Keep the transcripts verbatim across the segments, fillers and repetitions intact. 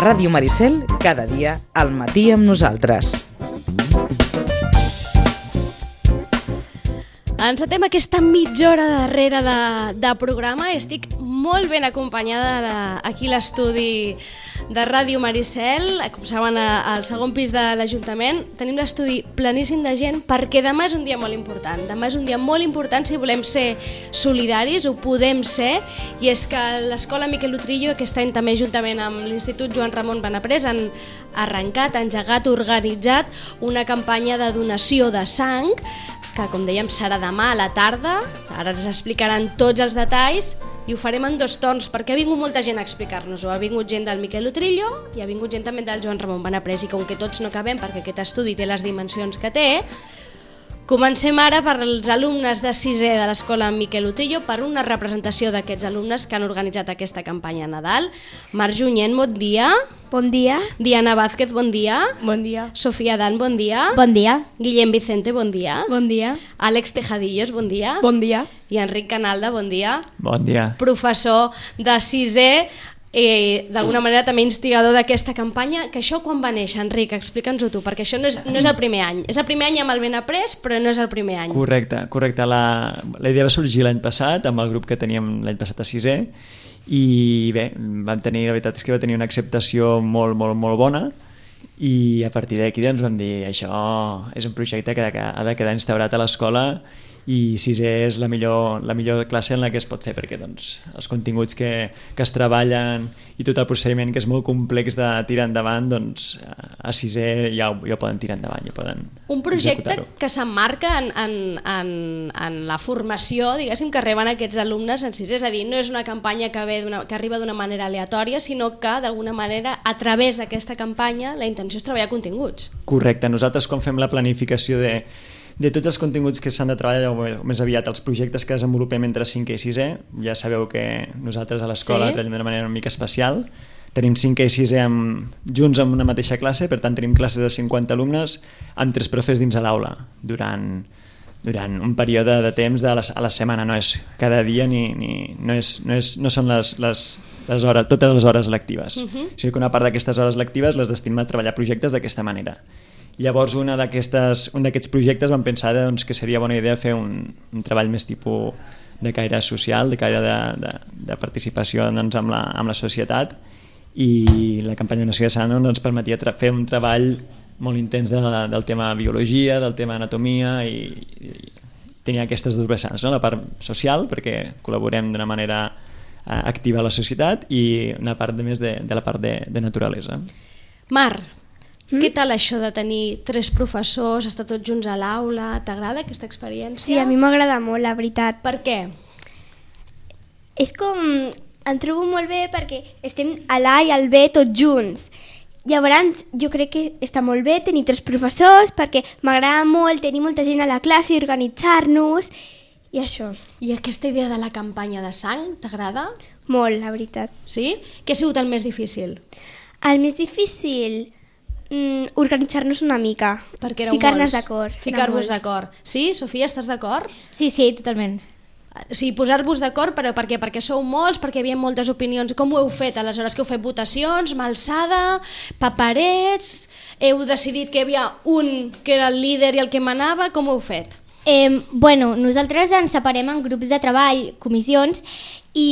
Ràdio Maricel, cada dia al matí amb nosaltres. Encetem aquesta mitja hora darrere de, de programa i estic molt ben acompanyada la, aquí a l'estudi de Ràdio Maricel, com saben, al segon pis de l'Ajuntament. Tenim l'estudi pleníssim de gent perquè demà és un dia molt important. Demà és un dia molt important si volem ser solidaris, ho podem ser, i és que l'Escola Miquel Utrillo aquest any també juntament amb l'Institut Joan Ramon Benaprés han arrencat, engegat, organitzat una campanya de donació de sang que, com dèiem, serà demà a la tarda. Ara ens explicaran tots els detalls i ho farem en dos torns perquè ha vingut molta gent a explicar-nos-ho. Ha vingut gent del Miquel Utrillo i ha vingut gent també del Joan Ramon Benaprés, i com que tots no cabem perquè aquest estudi té les dimensions que té, comencem ara per als alumnes de sisè de l'Escola Miquel Utrillo, per una representació d'aquests alumnes que han organitzat aquesta campanya a Nadal. Marc Junyent, bon dia. Bon dia. Diana Vázquez, bon dia. Bon dia. Sofia Dan, bon dia. Bon dia. Guillem Vicente, bon dia. Bon dia. Àlex Tejadillos, bon dia. Bon dia. I Enric Canalda, bon dia. Bon dia. Professor de sisè, eh, d'alguna manera també instigador d'aquesta campanya. Que això quan va néixer, Enric? Explica'ns-ho tu, perquè això no és, no és el primer any. És el primer any amb el Benaprés, però no és el primer any. Correcte, correcte. La, la idea va sorgir l'any passat, amb el grup que teníem l'any passat a sisè, i bé, vam tenir, la veritat és que va tenir una acceptació molt, molt, molt bona, i a partir d'aquí doncs vam dir això és un projecte que ha de quedar instaurat a l'escola, i sisè és la millor, la millor classe en la que es pot fer, perquè doncs, els continguts que, que es treballen i tot el procediment que és molt complex de tirar endavant, doncs a sisè ja, ja ho poden tirar endavant, ja poden un projecte executar-ho. Que s'emmarca en, en, en, en la formació, diguéssim, que reben aquests alumnes en sisè. És a dir, no és una campanya que, ve que arriba d'una manera aleatòria, sinó que d'alguna manera a través d'aquesta campanya la intenció és treballar continguts. Correcte, nosaltres quan fem la planificació de de tots els continguts que s'han de treballar, o més aviat els projectes que desenvolupem entre cinquè i sisè, ja sabeu que nosaltres a l'escola sí. treballem d'una manera una mica especial. Tenim cinquè i sisè amb, junts en una mateixa classe, per tant tenim classes de cinquanta alumnes amb tres profes dins a l'aula durant, durant un període de temps de la, a la setmana. No és cada dia ni, ni no, és, no, és, no són les, les, les hores, totes les hores lectives. Uh-huh. O sigui que una part d'aquestes hores lectives les destinem a treballar projectes d'aquesta manera. Llavors una un d'aquests projectes vam pensar doncs, que seria bona idea fer un, un treball més tipus de caire social, de caire de, de, de participació doncs, amb, la, amb la societat, i la campanya de donació de sang ens permetia fer un treball molt intens de, del tema biologia, del tema anatomia, i, i tenia aquestes dues vessants, no? La part social, perquè col·laborem d'una manera eh, activa a la societat, i una part de més de, de la part de, de naturalesa. Mar, Mm? Què tal això de tenir tres professors, estar tots junts a l'aula? T'agrada aquesta experiència? Sí, a mi m'agrada molt, la veritat. Per què? És com... Em trobo molt bé perquè estem a l'A i al B tots junts. Llavors, jo crec que està molt bé tenir tres professors perquè m'agrada molt tenir molta gent a la classe i organitzar-nos i això. I aquesta idea de la campanya de sang, t'agrada? Molt, la veritat. Sí? Què ha sigut el més difícil? El més difícil... Mm, organitzar-nos una mica, ficar-nos d'acord. Ficar-vos d'acord. Sí, Sofia, estàs d'acord? Sí, sí, totalment. O sigui, posar-vos d'acord, però per què? Perquè sou molts, perquè hi havia moltes opinions. Com ho heu fet aleshores? Que heu fet votacions, mà alçada, paperets, heu decidit que hi havia un que era el líder i el que manava, com ho heu fet? Eh, bueno, nosaltres ens separem en grups de treball, comissions, i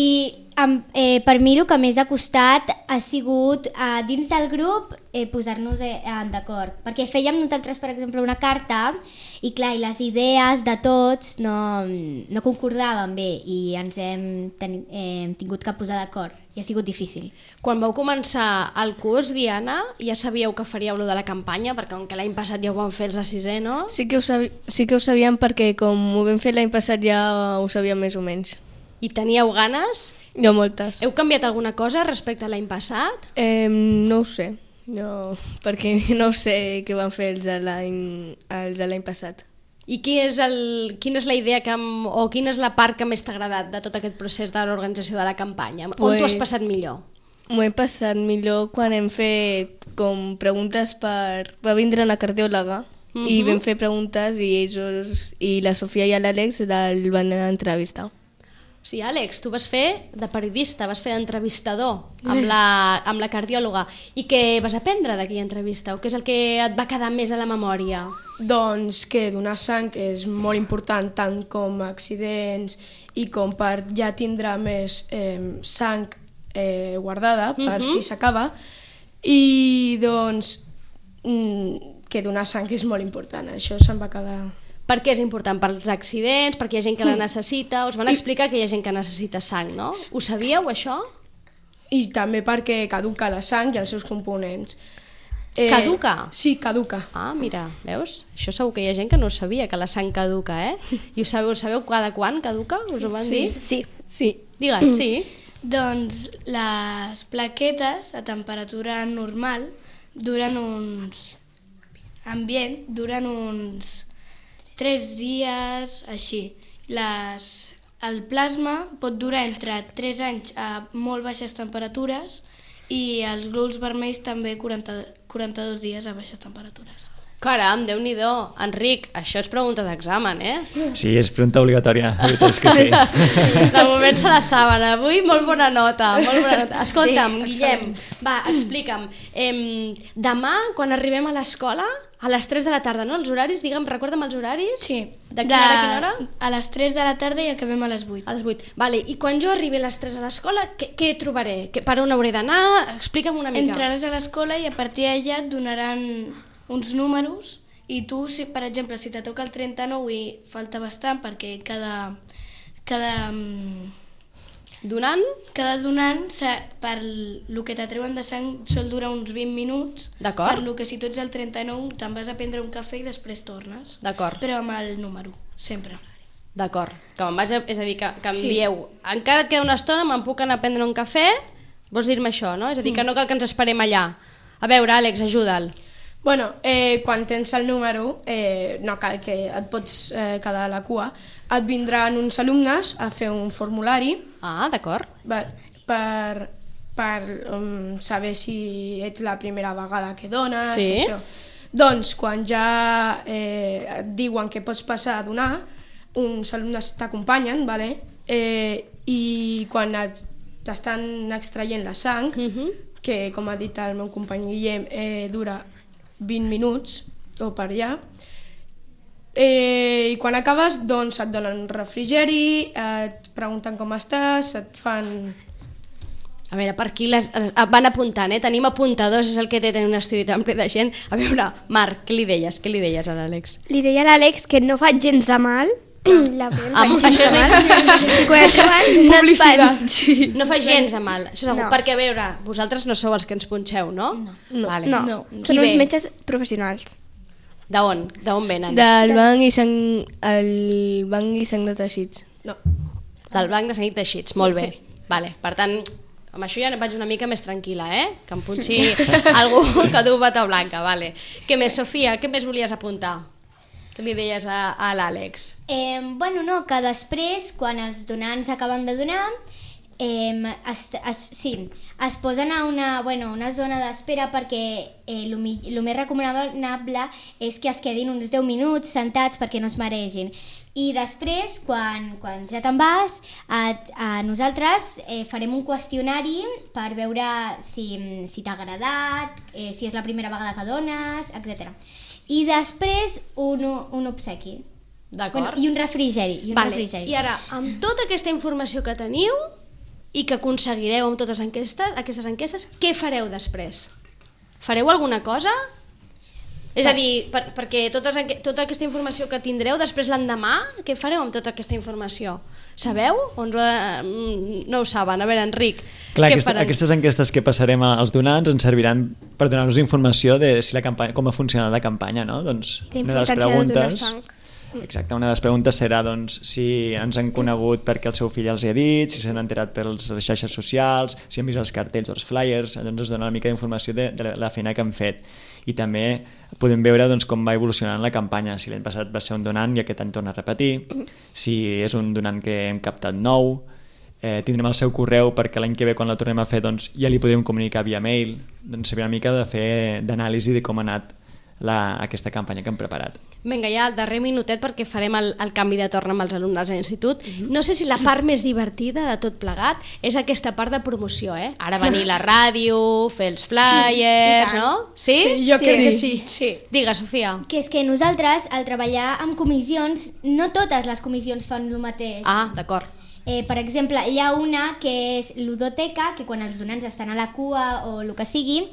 eh, per mi el que més ha costat ha sigut eh, dins del grup eh, posar-nos eh, d'acord, perquè fèiem nosaltres, per exemple, una carta i clar, i les idees de tots no, no concordaven bé i ens hem, ten, eh, hem tingut que posar d'acord i ha sigut difícil. Quan vau començar el curs, Diana, ja sabíeu que faríeu lo de la campanya, perquè com que l'any passat ja ho van fer els de sisè, no? Sí que ho, sabi sí que ho sabíem perquè com ho vam fer l'any passat ja ho sabíem més o menys. I teníeu ganes? Jo moltes. Heu canviat alguna cosa respecte a l'any passat? Eh, no ho sé, no, perquè no sé què van fer els de l'any passat. I qui és el, quina és la idea que, o quina és la part que més t'ha agradat de tot aquest procés de l'organització de la campanya? Pues, on t'ho has passat millor? M'ho he passat millor quan hem fet com preguntes per... Va vindre una cardiòloga uh-huh. i vam fer preguntes i ells, i la Sofia i l'Àlex el van entrevistar. Sí, Àlex, tu vas fer de periodista, vas fer d'entrevistador amb la, amb la cardiòloga. I què vas aprendre d'aquella entrevista? O què és el que et va quedar més a la memòria? Doncs que donar sang és molt important, tant com accidents i com per ja tindre més eh, sang eh, guardada per uh-huh. si s'acaba. I doncs mm, que donar sang és molt important, això se'm va quedar... Per què és important? Pels accidents? Perquè hi ha gent que la necessita? Us van explicar que hi ha gent que necessita sang, no? Ho sabíeu, això? I també perquè caduca la sang i els seus components. Eh, Caduca? Sí, caduca. Ah, mira, veus? Això segur que hi ha gent que no ho sabia, que la sang caduca, eh? I ho sabeu, sabeu cada quan caduca? Us ho van Sí, dir? sí. Sí. Digues, sí. Doncs les plaquetes a temperatura normal duren uns... ambient, duren uns tres dies, així. Les, el plasma pot durar entre tres anys a molt baixes temperatures i els glòbuls vermells també quaranta, quaranta-dos dies a baixes temperatures. Caram, Déu-n'hi-do. Enric, això és pregunta d'examen, eh? Sí, és pregunta obligatòria, la veritat és que sí. De moment se la saben. Avui molt bona nota, molt bona nota. Escolta'm, Sí, Guillem, va, explica'm. Em, demà, quan arribem a l'escola, a les tres de la tarda, no? Els horaris, digue'm, recorda'm els horaris? Sí. De quina hora a quina hora? A les tres de la tarda i acabem a les vuit. A les vuit. Vale, i quan jo arribi a les tres a l'escola, què, què trobaré? Que, per on hauré d'anar? Explica'm una mica. Entraràs a l'escola i a partir d'allà et donaran uns números i tu, si, per exemple, si te toca el trenta-nou i falta bastant perquè cada, cada, Donant? cada donant, per el que t'atreuen de sang, sol durar uns vint minuts. D'acord. Per lo que si tu ets el trenta-nou te'n vas a prendre un cafè i després tornes. D'acord. Però amb el número, sempre. D'acord. Que me'n vaig a... És a dir, que, que em Sí. dieu, encara et queda una estona, me'n puc anar a prendre un cafè? Vols dir-me això, no? És a dir, que no cal que ens esperem allà. A veure, Àlex, ajuda'l. Bueno, eh, quan tens el número, eh, no cal que et pots eh, quedar a la cua, et vindran uns alumnes a fer un formulari Ah, d'acord. per, per, per um, saber si ets la primera vegada que dones. Sí. Això. Doncs quan ja eh, et diuen que pots passar a donar, uns alumnes t'acompanyen, vale? eh, i quan et, t'estan extraient la sang, Mhm. que com ha dit el meu company Guillem, eh, dura vint minuts o per allà, eh, i quan acabes doncs et donen un refrigeri, et pregunten com estàs, et fan... A veure, per aquí les, les van apuntant, eh? Tenim apuntadors, és el que té tenir un estudi tan ple de gent. A veure, Marc, què li deies? Què li deies a l'Àlex? Li deia a l'Àlex que no faig gens de mal. La Bel Ah, faig gens això de és- mal. I quan et troben, no et fan. Sí. No fa gens de mal, això segur. No. Perquè, a veure, vosaltres no sou els que ens punxeu, no? No. Vale. No, No. Qui són ve? uns metges professionals. D'on? D'on venen? Del banc i sang, el banc i sang de teixits. No. Del banc de sang i teixits, molt bé. Vale. Per tant, amb això ja vaig una mica més tranquil·la, eh? Que em punxi algú que du bata blanca, vale. Què més, Sofia? Què més volies apuntar? Què li deies a, a l'Àlex? Eh, bueno, no, que després, quan els donants acaben de donar, eh, es, es, sí, es posen a una, bueno, una zona d'espera perquè el eh, més recomanable és que es quedin uns deu minuts sentats perquè no es maregin. I després, quan, quan ja te'n vas, a, a nosaltres eh, farem un qüestionari per veure si, si t'ha agradat, eh, si és la primera vegada que dones, etcètera. I després un, un obsequi. D'acord. Bueno, I un refrigeri. I, un Vale. refrigeri. I ara, amb tota aquesta informació que teniu i que aconseguireu amb totes enquestes, aquestes enquestes, què fareu després? Fareu alguna cosa? És a dir, per, perquè totes, enque- tota aquesta informació que tindreu després l'endemà, què fareu amb tota aquesta informació? Sabeu? O ens ho, eh, no ho saben? A veure, Enric, Clar, què aquesta, faran? aquestes enquestes que passarem als donants ens serviran per donar-nos informació de si la campanya, com ha funcionat la campanya, no? Doncs La una de les importància de donar preguntes... sang. Exacte, una de les preguntes serà doncs, si ens han conegut perquè el seu fill els hi ha dit, si s'han enterat per les xarxes socials, si han vist els cartells o els flyers, doncs ens dona una mica d'informació de, de la feina que han fet. I també podem veure doncs, com va evolucionant la campanya, si l'any passat va ser un donant i aquest any torna a repetir, si és un donant que hem captat nou, eh, tindrem el seu correu perquè l'any que ve quan la tornem a fer doncs, ja li podrem comunicar via mail, doncs saber una mica de fer d'anàlisi de com ha anat la, aquesta campanya que hem preparat. Vinga, ja al darrer minutet perquè farem el, el canvi de torn amb els alumnes de l'institut. No sé si la part més divertida de tot plegat és aquesta part de promoció, eh? Ara venir la ràdio, fer els flyers, no? Sí? Sí, jo crec que sí. Sí. Digues, Sofia. Que és que nosaltres, al treballar amb comissions, no totes les comissions fan el mateix. Ah, d'acord. Eh, per exemple, hi ha una que és ludoteca, que quan els donants estan a la cua o el que sigui,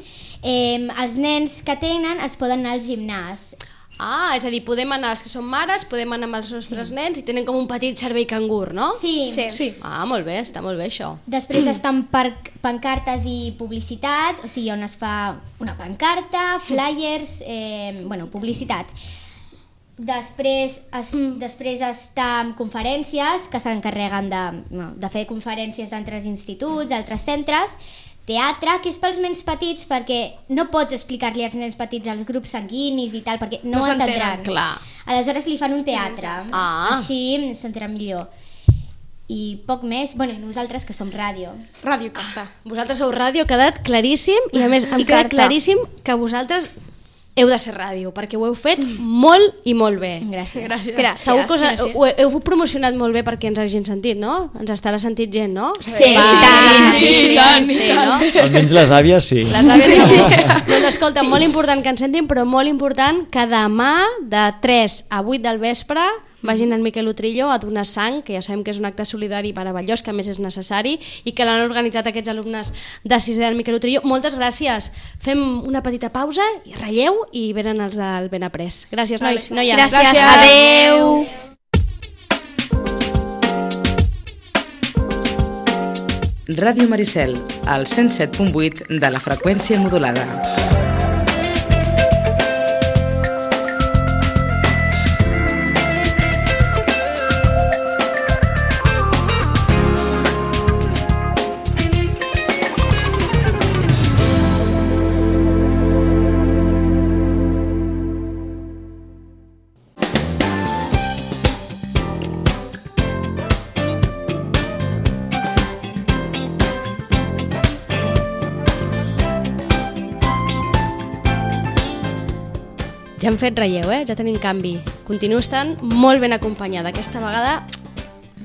eh, els nens que tenen es poden anar al gimnàs. Ah, és a dir, podem anar, els que són mares, podem anar amb els nostres sí. nens i tenen com un petit servei cangur, no? Sí. Sí. sí. Ah, molt bé, està molt bé això. Després estan per pancartes i publicitat, o sigui, on es fa una pancarta, flyers, eh, bueno, publicitat. Després, es, mm. després està amb conferències, que s'encarreguen de, no, de fer conferències d'altres instituts, d'altres centres, teatre, que és pels nens petits, perquè no pots explicar-li als nens petits els grups sanguinis i tal, perquè no, no ho entendran. Clar. Aleshores li fan un teatre, ah. així s'entendrà millor. I poc més, bueno, i nosaltres que som ràdio. Ràdio Carta. Vosaltres sou ràdio, ha quedat claríssim, i a més em queda claríssim que vosaltres heu de ser ràdio, perquè ho heu fet molt i molt bé. Gràcies. Gràcies. Espera, segur que us, Gràcies. ho heu promocionat molt bé perquè ens hagin sentit, no? Ens estarà sentit gent, no? Sí, Va, sí, sí, sí, sí, sí, tant, sí, tant. no? Almenys les àvies sí. Les àvies sí. Doncs escolta, molt important que ens sentin, però molt important que demà de tres a vuit del vespre vagin al Miquel Utrillo a donar sang, que ja sabem que és un acte solidari meravellós, que a més és necessari, i que l'han organitzat aquests alumnes de sisè del Miquel Utrillo. Moltes gràcies. Fem una petita pausa, i relleu, i venen els del Ben Après. Gràcies, nois. Noies. Gràcies. Gràcies. Adeu. Ràdio Maricel, al cent set punt vuit de la freqüència modulada. Ja hem fet relleu, eh? Ja tenim canvi. Continuo estant molt ben acompanyada. Aquesta vegada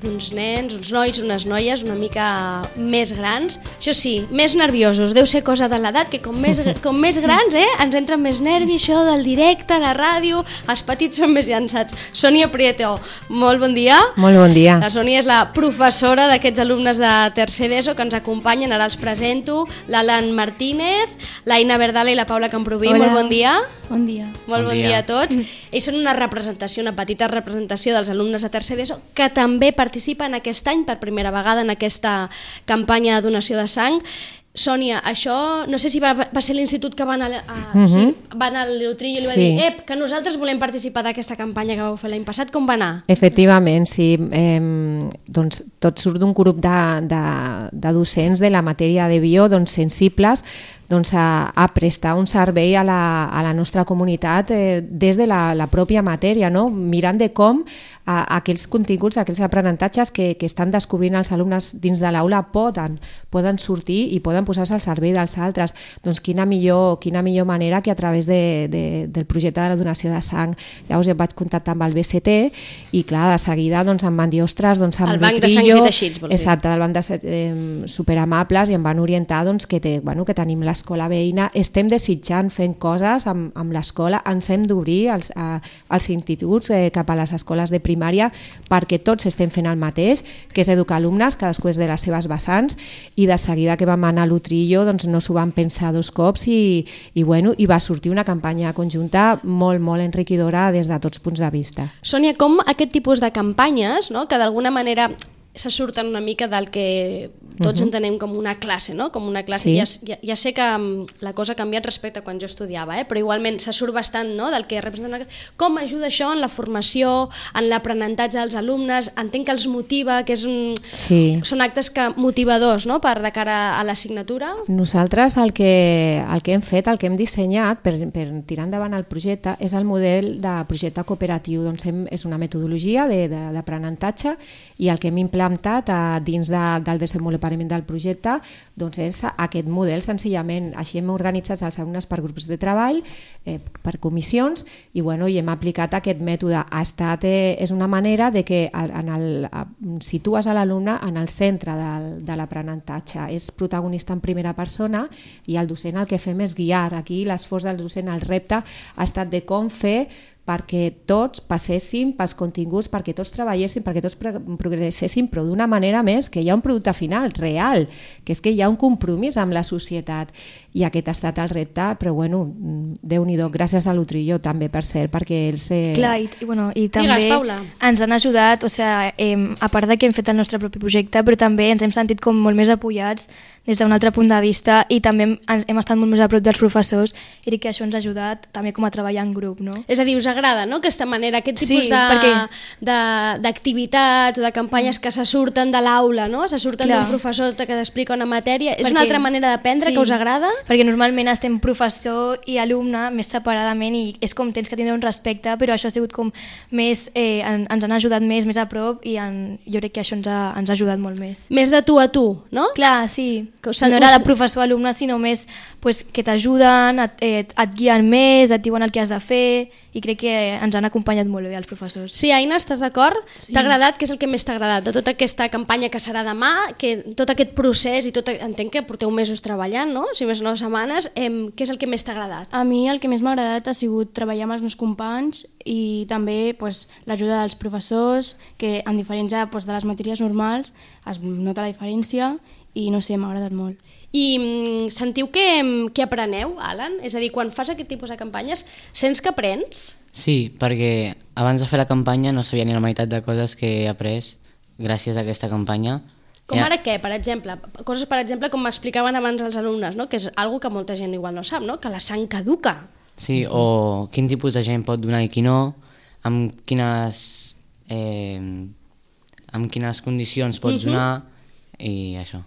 d'uns nens, uns nois, unes noies una mica més grans. Això sí, més nerviosos. Deu ser cosa de l'edat, que com més, com més grans, eh, ens entra més nervi, això del directe, la ràdio. Els petits són més llançats. Sònia Prieto, molt bon dia. Molt bon dia. La Sònia és la professora d'aquests alumnes de tercer d'ESO que ens acompanyen. Ara els presento. L'Alan Martínez, l'Aina Verdala i la Paula Camproví. Hola. Molt bon dia. Bon dia. Molt bon, Bon dia. dia a tots. Ells són una representació, una petita representació dels alumnes de tercer d'ESO que també participen aquest any per primera vegada en aquesta campanya de donació de sang. Sònia, això no sé si va, va ser l'institut que van, a, a, Mhm. sí, van al Utrillo i li va Sí. dir ep, que nosaltres volem participar d'aquesta campanya que vau fer l'any passat. Com va anar? Efectivament, sí. Eh, doncs tot surt d'un grup de, de, de docents de la matèria de bio, doncs sensibles doncs, a, a prestar un servei a la, a la nostra comunitat eh, des de la, la pròpia matèria, no? Mirant de com a, aquells continguts, aquells aprenentatges que, que estan descobrint els alumnes dins de l'aula poden, poden sortir i poden posar-se al servei dels altres. Doncs quina millor, quina millor manera que a través de, de, del projecte de la donació de sang. Llavors em vaig contactar amb el B C T i clar, de seguida doncs, em van dir, ostres, doncs amb El banc de sangs i teixits, vols dir? Exacte, del banc de eh, superamables, i em van orientar doncs, que, té, bueno, que tenim l'escola veïna, estem desitjant fent coses amb, amb l'escola, ens hem d'obrir als, a, als instituts eh, cap a les escoles de primària perquè tots estem fent el mateix, que és educar alumnes, cadascú és de les seves vessants, i de seguida que vam anar a l'Utrillo doncs no s'ho vam pensar dos cops i, i, bueno, i va sortir una campanya conjunta molt, molt enriquidora des de tots punts de vista. Sònia, com aquest tipus de campanyes, no, que d'alguna manera se surten una mica del que tots uh-huh. entenem com una classe, no? Com una classe. Sí. Ja, ja, ja sé que um, la cosa ha canviat respecte a quan jo estudiava, eh? Però igualment se surt bastant, no?, del que representa una... Com ajuda això en la formació, en l'aprenentatge dels alumnes? Entenc que els motiva, que és un... Sí. són actes que motivadors, no?, per de cara a l'assignatura. Nosaltres el que, el que hem fet, el que hem dissenyat per, per tirar endavant el projecte és el model de projecte cooperatiu. Doncs hem, és una metodologia d'aprenentatge i el que hem implementat implementat eh, dins de, del desenvolupament del projecte doncs és aquest model senzillament. Així hem organitzat els alumnes per grups de treball, eh, per comissions i, bueno, i hem aplicat aquest mètode. Ha estat, eh, és una manera de que en el, situes a l'alumne en el centre de, de l'aprenentatge. És protagonista en primera persona i el docent el que fem és guiar. Aquí l'esforç del docent, el repte ha estat de com fer perquè tots passéssim pels continguts, perquè tots treballéssim, perquè tots progresséssim, però d'una manera més que hi ha un producte final real, que és que hi ha un compromís amb la societat. I aquest ha estat el repte, però bueno, Déu-n'hi-do, gràcies a l'Utrillo també, per cert, perquè ells... Eh... Clar, i, i, bueno, i també Digues, Paula. Ens han ajudat, o sigui, eh, a part de que hem fet el nostre propi projecte, però també ens hem sentit com molt més apoyats des d'un altre punt de vista i també hem, hem estat molt més a prop dels professors i crec que això ens ha ajudat també com a treballar en grup, no? És a dir, us agrada, no?, aquesta manera, aquest tipus Sí, de, perquè- de, d'activitats o de campanyes que se surten de l'aula, no?, se surten Clar. d'un professor que t'explica una matèria. És Perquè- una altra manera d'aprendre sí, que us agrada? Perquè normalment estem professor i alumne més separadament i és com tens que tindre un respecte, però això ha sigut com més, eh, en, ens han ajudat més, més a prop i en, jo crec que això ens ha, ens ha ajudat molt més. Més de tu a tu, no? Clar, sí. Que us- No era us- de professor-alumne, sinó més pues, que t'ajuden, et, et, et guien més, et diuen el que has de fer i crec que ens han acompanyat molt bé els professors. Sí, Aina, estàs d'acord? Sí. T'ha agradat? Què és el que més t'ha agradat de tota aquesta campanya que serà demà, que tot aquest procés i tot, entenc que porteu mesos treballant, no?, si més no setmanes, em, què és el que més t'ha agradat? A mi el que més m'ha agradat ha sigut treballar amb els meus companys i també pues, l'ajuda dels professors, que en diferència pues, de les matèries normals es nota la diferència i no sé, m'ha agradat molt. I mm, sentiu que, que apreneu, Alan? És a dir, quan fas aquest tipus de campanyes, sents que aprens? Sí, perquè abans de fer la campanya no sabia ni la meitat de coses que he après gràcies a aquesta campanya. Com Ja. ara què, per exemple? Coses, per exemple, com m'explicaven abans els alumnes, no?, que és algo que molta gent igual no sap, no?, que la sang caduca. Sí, o quin tipus de gent pot donar i qui no, amb quines, eh, amb quines condicions pots Mhm. donar i això.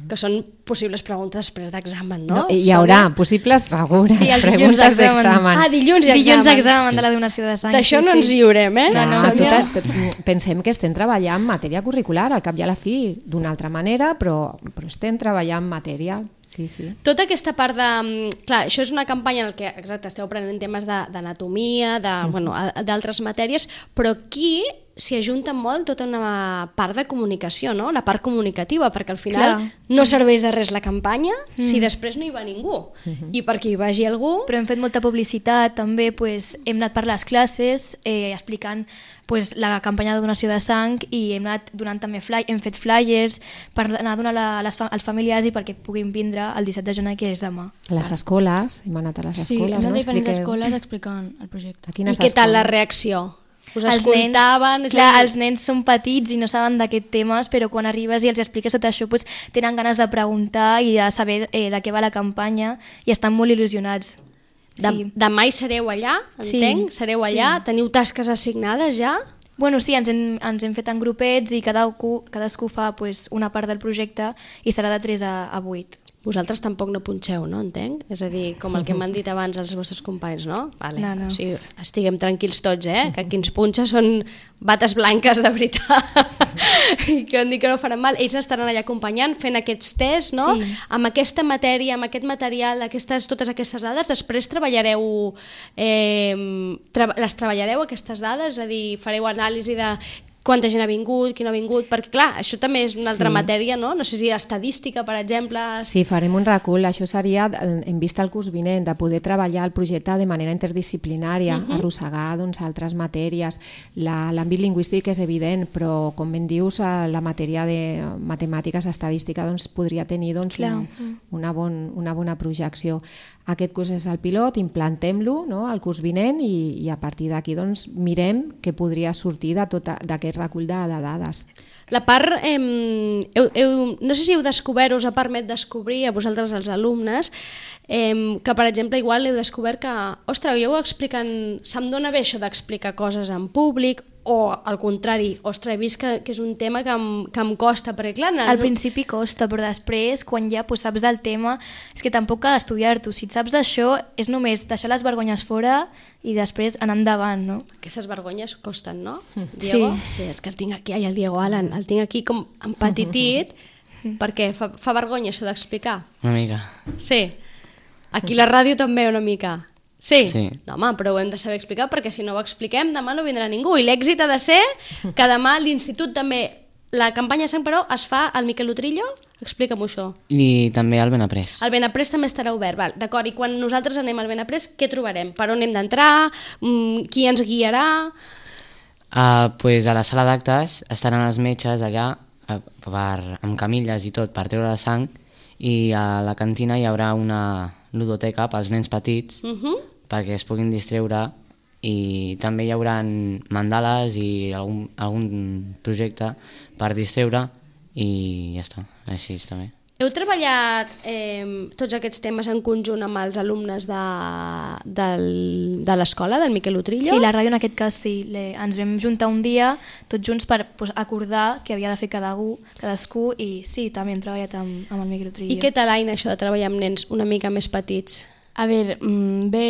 Que són possibles preguntes després d'examen, no? No, hi haurà possibles segures Sí, el dilluns preguntes examen. d'examen. Ah, dilluns i examen. Dilluns examen de la donació de sang. D'això sí, no sí. ens lliurem, eh? No, no. Ah, Sònia? tota, pensem que estem treballant en matèria curricular, al cap i a la fi, d'una altra manera, però, però estem treballant en matèria. Sí, sí. Tota aquesta part de... Clar, això és una campanya en què, exacte, esteu aprenent temes de- d'anatomia, de, bueno, a- d'altres matèries, però aquí s'hi ajunta molt tota una part de comunicació, no?, la part comunicativa, perquè al final Clar. no serveix de res la campanya si Mm. després no hi va ningú. I perquè hi vagi algú... Però hem fet molta publicitat, també pues, hem anat per les classes eh, explicant pues, la campanya de donació de sang i hem anat donant també fly, hem fet flyers per anar a donar a les, fa- als familiars i perquè puguin vindre el disset de gener, que és demà. A les escoles, hem anat a les Sí, escoles, hem anat no? a diferents Expliqueu. escoles explicant el projecte. A I quines què tal la escoles? reacció? Us Els escoltaven? nens, És a clar, dir, els nens són petits i no saben d'aquests temes, però quan arribes i els expliques tot això, pues, tenen ganes de preguntar i de saber eh, de què va la campanya i estan molt il·lusionats. de, Sí. demà hi sereu allà, Sí, entenc? Sereu allà? sí. Teniu tasques assignades ja? Bueno, sí, ens hem, ens hem fet en grupets i cadascú, cadascú fa pues, una part del projecte i serà de tres a, a vuit. Vosaltres tampoc no punxeu, no? Entenc? És a dir, com el que m'han dit abans els vostres companys, no? Vale. No, no. O sigui, estiguem tranquils tots, eh? Que qui ens punxa són bates blanques de veritat i que han dit que no faran mal. Ells estaran allà acompanyant, fent aquests tests, no? Sí. Amb aquesta matèria, amb aquest material, aquestes, totes aquestes dades, després treballareu, eh, tra les treballareu aquestes dades? És a dir, fareu anàlisi de quanta gent ha vingut, qui no ha vingut, perquè clar, això també és una altra Sí. matèria, no? No sé si estadística, per exemple... Sí, farem un recull. Això seria, en vista al curs vinent, de poder treballar el projecte de manera interdisciplinària, Mhm. arrossegar doncs, altres matèries. La- L'àmbit lingüístic és evident, però, com ben dius, eh, la matèria de matemàtiques, estadística, doncs, podria tenir doncs, Clar. un, una, bon, una bona projecció. Aquest curs és el pilot, implantem-lo, no?, el curs vinent i, i a partir d'aquí doncs, mirem què podria sortir de tota- d'aquest recull de, de dades. La part, eh, heu, heu, no sé si heu descobert, us ha permet descobrir a vosaltres els alumnes, eh, que per exemple igual heu descobert que, ostres, jo ho expliquen, se'm dona bé això d'explicar coses en públic, o al contrari, ostres, he vist que, que és un tema que em, que em costa, perquè clar... No, al principi costa, però després, quan ja pues, saps del tema, és que tampoc cal estudiar-t'ho. Si et saps d'això, és només deixar les vergonyes fora i després anar endavant, no? Aquestes vergonyes costen, no, Diego? Sí. Sí, és que el tinc aquí, ai, el Diego Alan, el tinc aquí com empetitit, perquè fa, fa vergonya això d'explicar. Una mica. Sí. Aquí la ràdio també una mica. Sí? Sí. No, home, però ho hem de saber explicar perquè si no ho expliquem demà no vindrà ningú. I l'èxit ha de ser que demà l'institut també... La campanya Sant Peró es fa al Miquel Utrillo? Explica'm això. I també al Benaprés. El Benaprés també estarà obert, val. D'acord, i quan nosaltres anem al Benaprés, què trobarem? Per on hem d'entrar? Mm, qui ens guiarà? Uh, pues a la sala d'actes estaran els metges allà uh, per, amb camilles i tot per treure la sang, i a la cantina hi haurà una ludoteca pels nens petits, Uh-huh. perquè es puguin distreure, i també hi haurà mandales i algun, algun projecte per distreure, i ja està, així està bé. Heu treballat eh, tots aquests temes en conjunt amb els alumnes de, del, de l'escola, del Miquel Utrillo? Sí, la ràdio en aquest cas sí. Le, ens vam juntar un dia tots junts per pues, acordar què havia de fer cadascú, cadascú i sí, també hem treballat amb, amb el Miquel Utrillo. I què tal, Aina, això de treballar amb nens una mica més petits? A veure, mm, bé...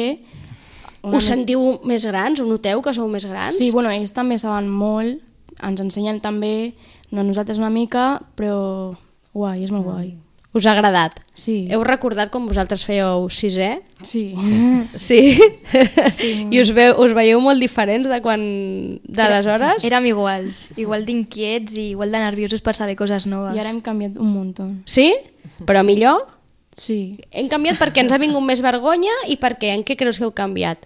Us me... sentiu més grans? Ho noteu que sou més grans? Sí, bueno, ells també saben molt, ens ensenyen també, no nosaltres una mica, però guai, és molt guai. Us ha agradat? Sí. Heu recordat quan vosaltres fèieu sisè? Sí. Sí? Sí. I us, veu, us veieu molt diferents de quan... d'aleshores? Érem iguals, igual d'inquiets i igual de nerviosos per saber coses noves. I ara hem canviat un munt. Sí? Però millor? Sí. Hem canviat perquè ens ha vingut més vergonya i per què? En què creus que heu canviat?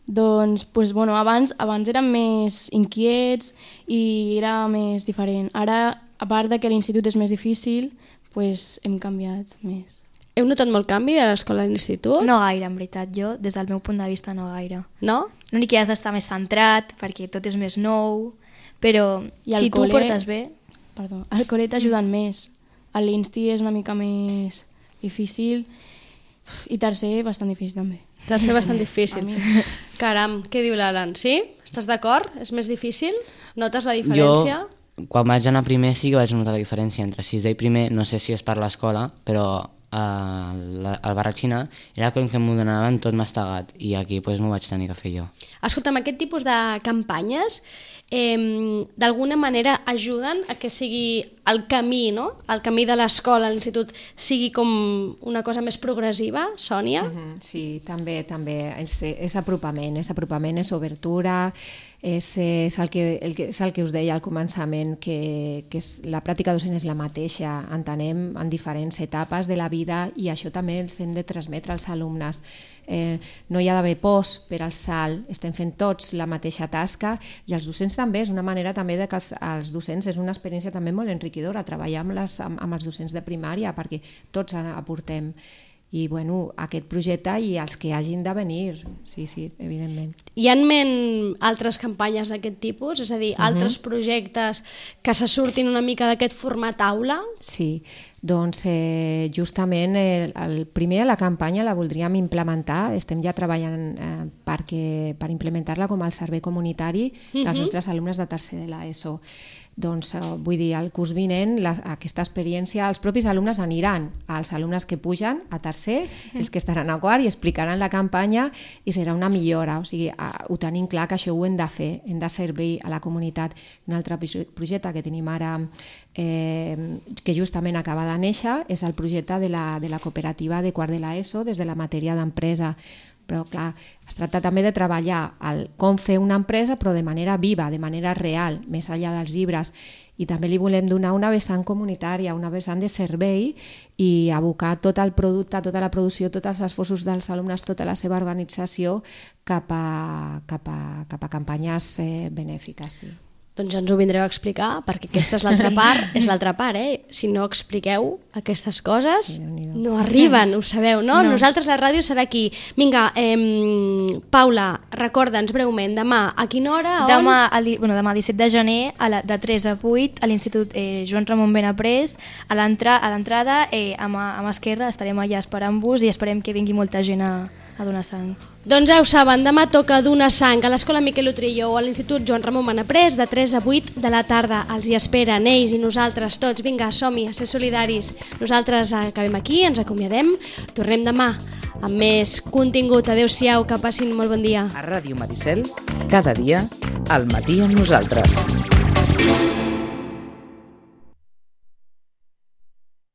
Doncs, pues, bueno, abans, abans érem més inquiets i era més diferent. Ara, a part de que l'institut és més difícil, pues, hem canviat més. Heu notat molt canvi a l'escola i l'institut? No gaire, en veritat. Jo, des del meu punt de vista, no gaire. No? L'únic que has d'estar més centrat, perquè tot és més nou, però I si tu ho portes bé... Perdó, al col·le t'ajuden més. A l'insti és una mica més difícil i tercer bastant difícil també. Tercer bastant difícil. Caram, què diu l'Alan? Sí? Estàs d'acord? És més difícil? Notes la diferència? Jo, quan vaig anar primer sí que vaig notar la diferència entre sisè i primer, no sé si és per l'escola, però al Barratxina era com que m'ho donaven tot mastegat i aquí pues, m'ho vaig tenir que fer jo. Escolta'm, aquest tipus de campanyes eh, d'alguna manera ajuden a que sigui el camí, no? El camí de l'escola, l'institut, sigui com una cosa més progressiva, Sònia? Mm-hmm, sí, també, també. És, és apropament, és apropament, és obertura, és, és, el que, el que, és el que us deia al començament, que, que és, la pràctica docent és la mateixa, entenem en diferents etapes de la vida i això també els hem de transmetre als alumnes. Eh, no hi ha d'haver pors per al salt, estem fent tots la mateixa tasca i els docents també, és una manera també de que els, els docents és una experiència també molt enriquidora, treballar amb, les, amb, amb els docents de primària perquè tots aportem i bueno, aquest projecte i els que hagin de venir, sí, sí, evidentment. Hi ha en ment altres campanyes d'aquest tipus? És a dir, uh-huh. altres projectes que se surtin una mica d'aquest format aula? Sí, doncs eh, justament el, el primer la campanya la voldríem implementar, estem ja treballant eh, perquè, per implementar-la com el servei comunitari dels uh-huh. nostres alumnes de tercer de l'ESO. Doncs eh, vull dir, el curs vinent la, aquesta experiència, els propis alumnes aniran als alumnes que pugen a tercer, mm. els que estaran a quart i explicaran la campanya i serà una millora, o sigui, eh, ho tenim clar que això ho hem de fer, hem de servir a la comunitat. Un altre projecte que tenim ara eh, que justament acaba de néixer és el projecte de la, de la cooperativa de quart de l'ESO des de la matèria d'empresa. Però clar, es tracta també de treballar el com fer una empresa però de manera viva, de manera real, més enllà dels llibres, i també li volem donar una vessant comunitària, una vessant de servei i abocar tot el producte, tota la producció, tots els esforços dels alumnes, tota la seva organització cap a, cap a, cap a campanyes eh, benèfiques. Sí. Doncs ja ens ho vindreu a explicar, perquè aquesta és l'altra sí. part, és l'altra part, eh? Si no expliqueu aquestes coses, sí, no arriben, ho sabeu, no? no? Nosaltres la ràdio serà aquí. Vinga, eh, Paula, recorda'ns breument, demà, a quina hora, on? Demà, el, bueno, demà disset de gener, a la, de tres a vuit, a l'Institut eh, Joan Ramon Benaprés, a l'entrada, eh, a mà esquerra, estarem allà esperant-vos i esperem que vingui molta gent a, a donar sang. Doncs ja ho saben, demà toca donar sang a l'Escola Miquel Utrillo o a l'Institut Joan Ramon Manaprés de tres a vuit de la tarda. Els hi esperen, ells i nosaltres tots. Vinga, som-hi, a ser solidaris. Nosaltres acabem aquí, ens acomiadem. Tornem demà amb més contingut. Adéu-siau, que passin molt bon dia. A Ràdio Maricel, cada dia, al matí amb nosaltres.